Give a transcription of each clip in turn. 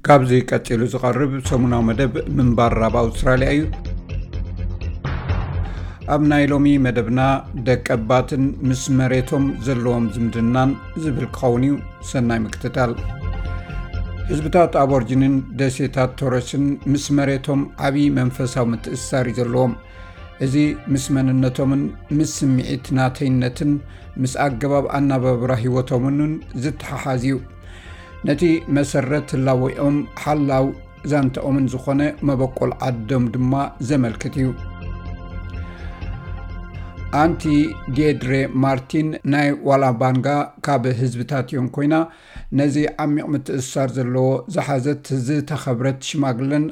ካብዚ ቀጺሉ ዝቐርብ ሰሙናዊ መደብ ምንባር ኣብ ኣውስትራልያ እዩ። ኣብ ናይ ሎሚ መደብና፣ ደቀባትን ምስ መሬቶም ዘለዎም ዝምድናን ዝብል ክኸውን እዩ። ሰናይ ምክትታል። ህዝብታት ኣቦርጅንን ደሴታት ቶረስን ምስ መሬቶም ዓቢ መንፈሳዊ ምትእስሳር እዩ ዘለዎም። እዚ ምስ መንነቶምን ምስ ስምዒት ናተይነትን ምስ ኣገባብ ኣናባብራ ህይወቶምን ዝተሓሓዝ እዩ። ነቲ መሰረት ህላወኦም ሓላው ዛንታኦምን ዝኾነ መበቆል ዓዶም ድማ ዘመልክት እዩ። ኣንቲ ዴድሬ ማርቲን ናይ ዋላባንጋ ካብ ህዝብታት እዮም ኮይና፣ ነዚ ዓሚቕ ምትእስሳር ዘለዎ ዝሓዘት ዝተኸብረት ሽማግለን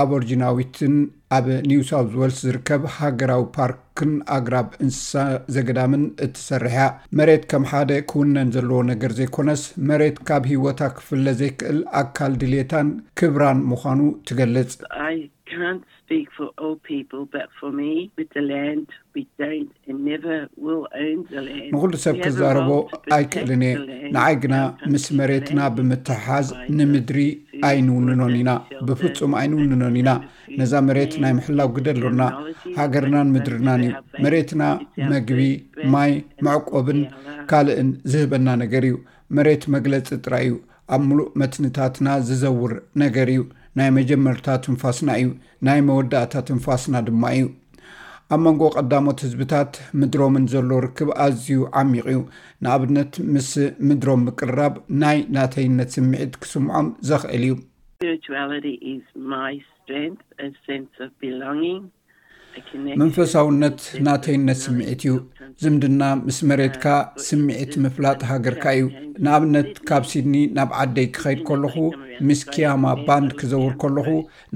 ኣቦርጂናዊትን ኣብ ኒው ሳውዝ ዌልስ ዝርከብ ሃገራዊ ፓርክን ኣግራብ እንስሳ ዘገዳምን እትሰርሕ እያ። መሬት ከም ሓደ ክውነን ዘለዎ ነገር ዘይኮነስ፣ መሬት ካብ ህይወታ ክፍለ ዘይክእል ኣካል ድሌታን ክብራን ምዃኑ ትገልጽ። I can't speak for all people, but for me, with the land, we don't and never will own the land. ንኹሉ ሰብ We have a ክዛረቦ role to protect ኣይክእልን እየ። the land. ንዓይ ግና Our country, ምስ መሬትና the land, ብምትሓዝ provides ንምድሪ us food, ኣይንውንኖን water, ኢና። shelter, ብፍጹም ኣይንውንኖን ኢና። ነዛ መሬት ናይ ምሕላው ግደ ኣሎና። ሃገርናን ምድርናን እዩ። መሬትና መግቢ፣ ማይ፣ መዕቆብን ካልእን ዝህበና ነገር እዩ። መሬት መግለጺ ጥራይ እዩ። ኣብ ምሉእ መትንታትና ዝዘውር ነገር እዩ። ናይ መጀመርታ ትንፋስና እዩ። ናይ መወዳእታ ትንፋስና ድማ እዩ። ኣብ መንጎ ቀዳሞት ህዝብታት ምድሮምን ዘሎ ርክብ ኣዝዩ ዓሚቕ እዩ። ንኣብነት፣ ምስ ምድሮም ምቅርራብ ናይ ናተይነት ስምዒት ክስምዖም ዘኽእል እዩ። Spirituality is my strength, a sense of belonging, a connection. መንፈሳውነት ናተይነት ስምዒት እዩ። ዝምድና ምስ መሬትካ ስምዒት ምፍላጥ ሃገርካ እዩ። ንኣብነት፣ ካብ ሲድኒ ናብ ዓደይ ክኸይድ ከለኹ፣ ምስ ኪያማ ባንድ ክዘውር ከለኹ፣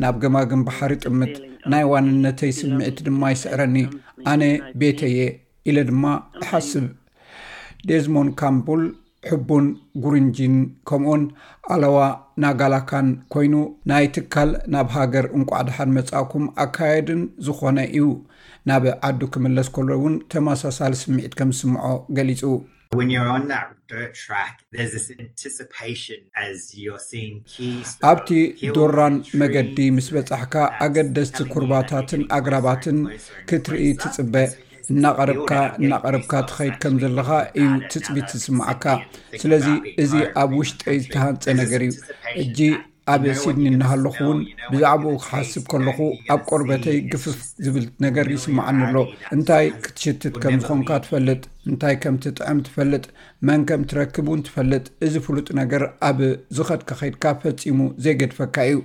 ናብ ገማግም ባሕሪ ጥምት፣ ናይ ዋንነተይ ስምዒት ድማ ይስዕረኒ። ኣነ ቤተየ ኢለ ድማ እሓስብ። ዴዝሞንድ ካምቡል ሕቡን ጉርንጂን ከምኡውን ኣለዋ ናጋላካን ኮይኑ፣ ናይ ትካል ናብ ሃገር እንቋዕ ደሓን መጻእኩም ኣካየድን ዝኾነ እዩ። ናብ ዓዱ ክምለስ ከሎ እውን ተመሳሳሊ ስምዒት ከም ዝስምዖ ገሊጹ። When you're on that dirt track, there's this anticipation as you're seeing key ኣብቲ ዶራን መገዲ ምስ በጻሕካ፣ ኣገደስቲ ኩርባታትን ኣግራባትን ክትርኢ ትጽበ። እናቐረብካ እናቐረብካ ትኸይድ ከም ዘለኻ እዩ ትጽቢት ዝስምዓካ። ስለዚ እዚ ኣብ ውሽጠይ ዝተሃንጸ ነገር እዩ። እጂ ኣብ ሲድኒ እናሃለኹ እውን ብዛዕባኡ ክሓስብ ከለኹ፣ ኣብ ቆርበተይ ግፍፍ ዝብል ነገር ይስምዓኒ ኣሎ። እንታይ ክትሽትት ከም ዝኾንካ ትፈልጥ፣ እንታይ ከም ትጥዕም ትፈልጥ፣ መን ከም ትረክብ እውን ትፈልጥ። እዚ ፍሉጥ ነገር ኣብ ዝኸድካ ከይድካ ፈጺሙ ዘይገድፈካ እዩ።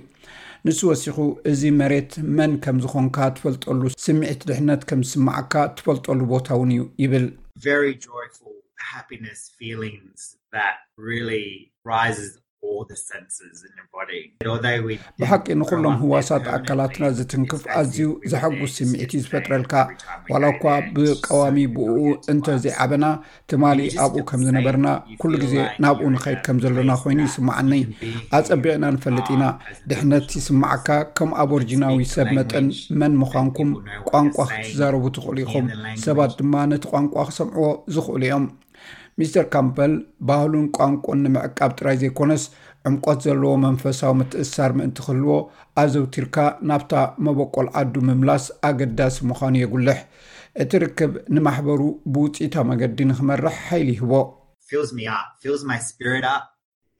ንሱ ወሲኹ፣ እዚ መሬት መን ከም ዝኾንካ ትፈልጠሉ ስምዒት ድሕነት ከም ዝስምዓካ ትፈልጠሉ ቦታ እውን እዩ ይብል። Very joyful happiness feelings that really rises all the senses in your body. Although we ብሓቂ ንኹሎም ህዋሳት ኣካላትና ዝትንክፍ ኣዝዩ ዘሐጉስ ስምዒት እዩ ዝፈጥረልካ። ዋላ እኳ ብቀዋሚ ብኡ እንተዘይዓበና፣ ትማሊ ኣብኡ ከም ዝነበርና፣ ኩሉ ግዜ ናብኡ ንኸይድ ከም ዘለና ኮይኑ ይስምዓኒ። ኣጸቢቕና ንፈልጥ ኢና። ድሕነት ይስምዓካ። ከም ኣቦርጂናዊ ሰብ መጠን መን ምዃንኩም ቋንቋ ክትዛረቡ ትኽእሉ ኢኹም። ሰባት ድማ ነቲ ቋንቋ ክሰምዕዎ ዝኽእሉ እዮም። ሚስተር ካምፐል፣ ባህሉን ቋንቋን ንምዕቃብ ጥራይ ዘይኮነስ፣ ዕምቆት ዘለዎ መንፈሳዊ ምትእስሳር ምእንቲ ክህልዎ፣ ኣዘውቲርካ ናብታ መበቆል ዓዱ ምምላስ ኣገዳሲ ምዃኑ የጉልሕ። እቲ ርክብ ንማሕበሩ ብውጽኢታዊ መገዲ ንኽመርሕ ሓይሊ ይህቦ። Fills me up, fills my spirit up.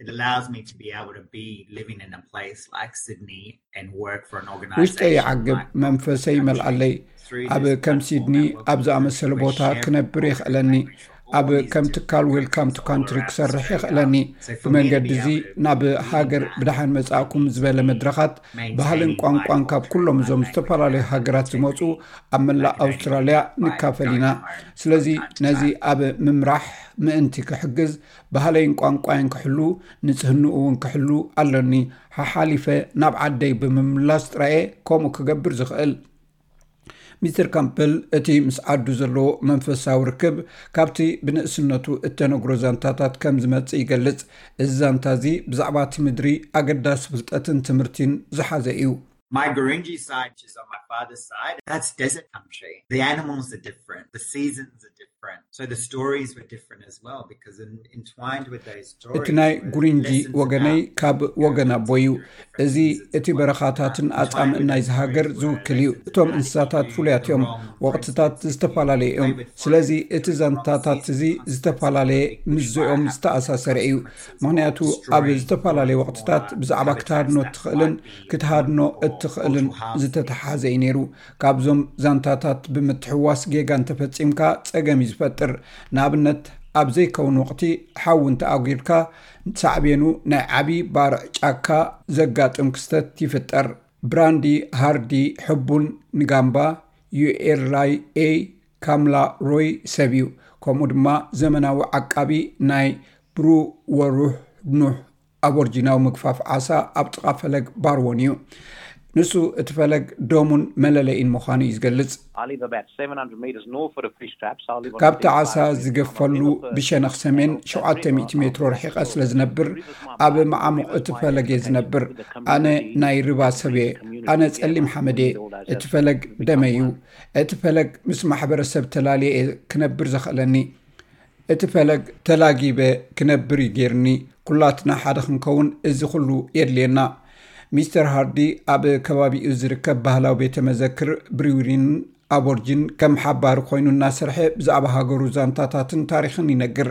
It allows me to be able to be living in a place like Sydney and work for an organization. ውሽጠይ ይዓግብ፣ መንፈሰይ ይመልኣለይ። ኣብ ከም ሲድኒ ኣብ ዝኣመሰለ ቦታ ክነብር የኽእለኒ። ኣብ ከም ትካል ዌልካም ቱ ካንትሪ ክሰርሕ የኽእለኒ። ብመንገዲ እዚ ናብ ሃገር ብደሓን መጻእኩም ዝበለ መድረኻት ባህልን ቋንቋን ካብ ኩሎም እዞም ዝተፈላለዩ ሃገራት ዝመጹ ኣብ መላእ ኣውስትራልያ ንካፈል ኢና። ስለዚ ነዚ ኣብ ምምራሕ ምእንቲ ክሕግዝ፣ ባህለይን ቋንቋይን ክሕሉ፣ ንጽህንኡ እውን ክሕሉ ኣሎኒ። ሓሓሊፈ ናብ ዓደይ ብምምላስ ጥራየ ከምኡ ክገብር ዝኽእል። ሚስተር ካምፐል እቲ ምስ ዓዱ ዘለዎ መንፈሳዊ ርክብ ካብቲ ብንእስነቱ እተነግሮ ዛንታታት ከም ዝመጽእ ይገልጽ። እዚ ዛንታ እዚ ብዛዕባ እቲ ምድሪ ኣገዳሲ ፍልጠትን ትምህርቲን ዝሓዘ እዩ። My Gurindji side, which is on my father's side, that's desert country. The animals are different. The seasons are different. different. So the stories were different as well because entwined with those stories. እቲ ናይ ጉሪንጂ ወገነይ ካብ ወገን ኣቦ እዩ። እዚ እቲ በረኻታትን ኣጻምእን ናይዚ ሃገር ዝውክል እዩ። እቶም እንስሳታት ፍሉያት እዮም። ወቕትታት ዝተፈላለዩ እዮም። ስለዚ እቲ ዛንታታት እዚ ዝተፈላለየ ምስዚኦም ዝተኣሳሰረ እዩ። ምኽንያቱ ኣብ ዝተፈላለየ ወቕትታት ብዛዕባ ክትሃድኖ እትኽእልን ክትሃድኖ እትኽእልን ዝተተሓዘ እዩ ነይሩ። ካብዞም ዛንታታት ብምትሕዋስ ጌጋ እንተፈጺምካ ጸገም እዩ ዝፈጥር። ንኣብነት ኣብ ዘይከውን ወቕቲ ሓዊ እንተኣጒድካ ሳዕቤኑ ናይ ዓቢ ባርዕ ጫካ ዘጋጥም ክስተት ይፍጠር። ብራንዲ ሃርዲ ሕቡን ንጋምባ ዩኤርላይ ኤ ካምላ ሮይ ሰብ እዩ። ከምኡ ድማ ዘመናዊ ዓቃቢ ናይ ብሩ ወሩሕ ኑሕ ኣቦርጂናዊ ምግፋፍ ዓሳ ኣብ ጥቓ ፈለግ ባርዎን እዩ። ንሱ እቲ ፈለግ ደሙን መለለይን ምዃኑ እዩ ዝገልጽ። ካብቲ ዓሳ ዝገፈሉ ብሸነኽ ሰሜን ሸውዓተ ሚእቲ ሜትሮ ርሒቐ ስለ ዝነብር ኣብ መዓሙቕ እቲ ፈለግ እየ ዝነብር። ኣነ ናይ ርባ ሰብ እየ። ኣነ ጸሊም ሓመድ እየ። እቲ ፈለግ ደመይ እዩ። እቲ ፈለግ ምስ ማሕበረሰብ ተላልየ እየ ክነብር ዘኽእለኒ። እቲ ፈለግ ተላጊበ ክነብር እዩ ጌርኒ። ኩላትና ሓደ ክንከውን እዚ ኩሉ የድልየና። ሚስተር ሃርዲ ኣብ ከባቢኡ ዝርከብ ባህላዊ ቤተ መዘክር ብሪውሪን ኣቦርጅን ከም ሓባሪ ኮይኑ እናሰርሐ ብዛዕባ ሃገሩ ዛንታታትን ታሪኽን ይነግር።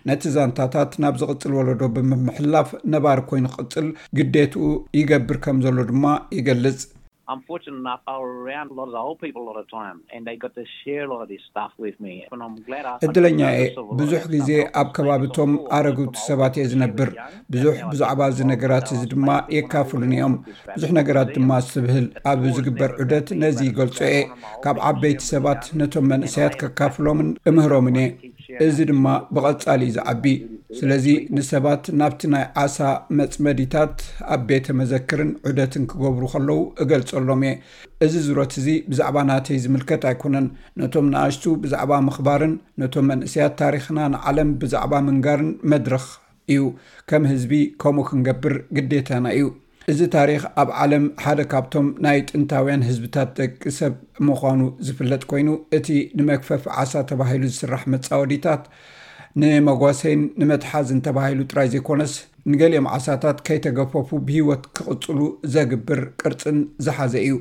ነቲ ዛንታታት ናብ ዝቕጽል ወለዶ ብምምሕላፍ ነባሪ ኮይኑ ክቕጽል ግዴትኡ ይገብር ከም ዘሎ ድማ ይገልጽ። Unfortunately enough, I was around a lot of the old people a lot of time, and they got to share a lot of this stuff with me. And I'm glad I. እድለኛ እየ። ብዙሕ ግዜ ኣብ ከባቢቶም ኣረጉት ሰባት እየ ዝነብር። ብዙሕ ብዛዕባ እዚ ነገራት እዚ ድማ የካፍሉን እዮም። ብዙሕ ነገራት ድማ ኣስትብህል። ኣብ ዝግበር ዑደት ነዚ ይገልጾ እየ። ካብ ዓበይቲ ሰባት ነቶም መንእሰያት ከካፍሎምን እምህሮምን እየ። እዚ ድማ ብቐጻሊ እዩ ዝዓቢ። ስለዚ ንሰባት ናብቲ ናይ ዓሳ መጽመዲታት ኣብ ቤተ መዘክርን ዑደትን ክገብሩ ከለዉ እገልጸሎም እየ። እዚ ዙረት እዚ ብዛዕባ ናተይ ዝምልከት ኣይኮነን። ነቶም ንኣሽቱ ብዛዕባ ምኽባርን ነቶም መንእሰያት ታሪኽና ንዓለም ብዛዕባ ምንጋርን መድረኽ እዩ። ከም ህዝቢ ከምኡ ክንገብር ግዴታና እዩ። እዚ ታሪኽ ኣብ ዓለም ሓደ ካብቶም ናይ ጥንታውያን ህዝብታት ደቂ ሰብ ምዃኑ ዝፍለጥ ኮይኑ፣ እቲ ንመግፈፍ ዓሳ ተባሂሉ ዝስራሕ መጻወዲታት ንመጓሰይን ንመትሓዝን ተባሂሉ ጥራይ ዘይኮነስ፣ ንገሊኦም ዓሳታት ከይተገፈፉ ብህይወት ክቕጽሉ ዘግብር ቅርጽን ዝሓዘ እዩ።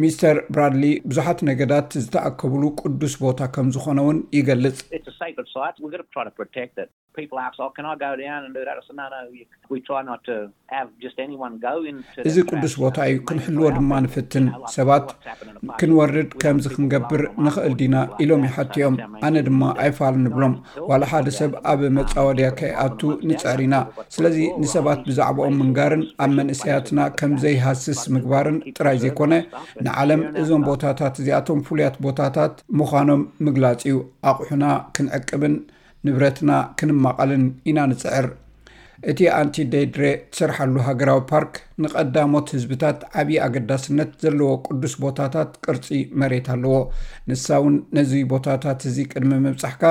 ሚስተር ብራድሊ ብዙሓት ነገዳት ዝተኣከብሉ ቅዱስ ቦታ ከም ዝኾነ እውን ይገልጽ። It's a sacred site. We've got to try to protect it. People ask, oh, can I go down and do that? I said, no, no, you, we try not to have just anyone go into that. እዚ ቅዱስ ቦታ እዩ፣ ክንሕልዎ ድማ ንፍትን። ሰባት ክንወርድ ከምዚ ክንገብር ንኽእል ዲና ኢሎም ይሓትዮም። ኣነ ድማ ኣይፋል ንብሎም። ዋላ ሓደ ሰብ ኣብ መጻወድያ ከይኣቱ ንጽዕር ኢና። ስለዚ ንሰባት ብዛዕባኦም ምንጋርን ኣብ መንእሰያትና ከም ዘይሃስስ ምግባርን ጥራይ ዘይኮነ፣ ንዓለም እዞም ቦታታት እዚኣቶም ፍሉያት ቦታታት ምዃኖም ምግላጽ እዩ። ኣቑሑና ክንዕቅብን ንብረትና ክንማቐልን ኢና ንጽዕር። እቲ ኣንቲ ደይድሬ ትሰርሓሉ ሃገራዊ ፓርክ ንቐዳሞት ህዝብታት ዓብዪ ኣገዳስነት ዘለዎ ቅዱስ ቦታታት ቅርጺ መሬት ኣለዎ። ንሳ እውን ነዚ ቦታታት እዚ ቅድሚ ምብጻሕካ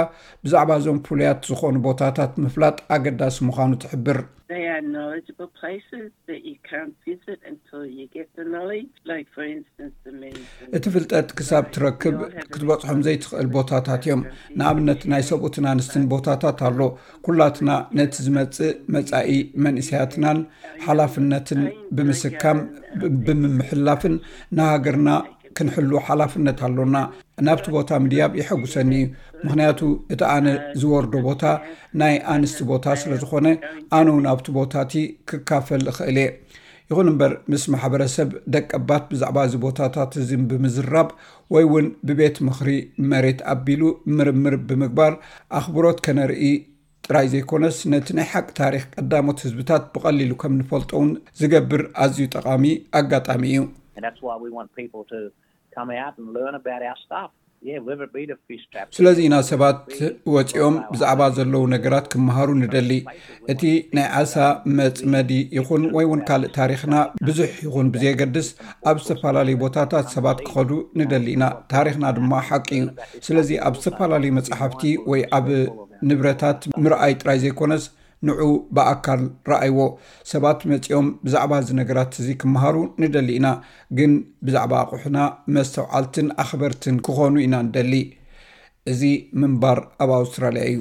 ብዛዕባ እዞም ፍሉያት ዝኾኑ ቦታታት ምፍላጥ ኣገዳሲ ምዃኑ ትሕብር። They are knowledgeable places that you can't visit until you get the knowledge. Like, for instance, the main. እቲ ፍልጠት ክሳብ ትረክብ ክትበጽሖም ዘይትኽእል ቦታታት እዮም። ንኣብነት ናይ ሰብኡትን ኣንስትን ቦታታት ኣሎ። ኩላትና ነቲ ዝመጽእ መጻኢ መንእሰያትናን ሓላፍነትን ብምስካም ብምምሕላፍን ንሃገርና ክንሕሉ ሓላፍነት ኣሎና። ናብቲ ቦታ ምድያብ የሐጉሰኒ እዩ። ምኽንያቱ እቲ ኣነ ዝወርዶ ቦታ ናይ ኣንስቲ ቦታ ስለ ዝኾነ፣ ኣነ እውን ኣብቲ ቦታ እቲ ክካፈል እኽእል እየ። ይኹን እምበር ምስ ማሕበረሰብ ደቀባት ብዛዕባ እዚ ቦታታት እዚ ብምዝራብ ወይ እውን ብቤት ምኽሪ መሬት ኣቢሉ ምርምር ብምግባር ኣኽብሮት ከነርኢ ጥራይ ዘይኮነስ ነቲ ናይ ሓቂ ታሪኽ ቀዳሞት ህዝብታት ብቐሊሉ ከም ንፈልጦ እውን ዝገብር ኣዝዩ ጠቓሚ ኣጋጣሚ እዩ። And that's why we want people to come out and learn about our stuff. Yeah, whether it be the fish traps. ስለዚ ኢና ሰባት ወፂኦም ብዛዕባ ዘለዉ ነገራት ክመሃሩ ንደሊ። እቲ ናይ ዓሳ መፅመዲ ይኹን ወይ እውን ካልእ ታሪኽና ብዙሕ ይኹን ብዘየገድስ ኣብ ዝተፈላለዩ ቦታታት ሰባት ክኸዱ ንደሊ ኢና። ታሪኽና ድማ ሓቂ እዩ። ስለዚ ኣብ ዝተፈላለዩ መፅሓፍቲ ወይ ኣብ ንብረታት ምርኣይ ጥራይ ዘይኮነስ ንዑ ብኣካል ረኣይዎ። ሰባት መፂኦም ብዛዕባ እዚ ነገራት እዚ ክመሃሩ ንደሊ ኢና፣ ግን ብዛዕባ ኣቑሑና መስተውዓልትን ኣኽበርትን ክኾኑ ኢና ንደሊ። እዚ ምንባር ኣብ ኣውስትራልያ እዩ።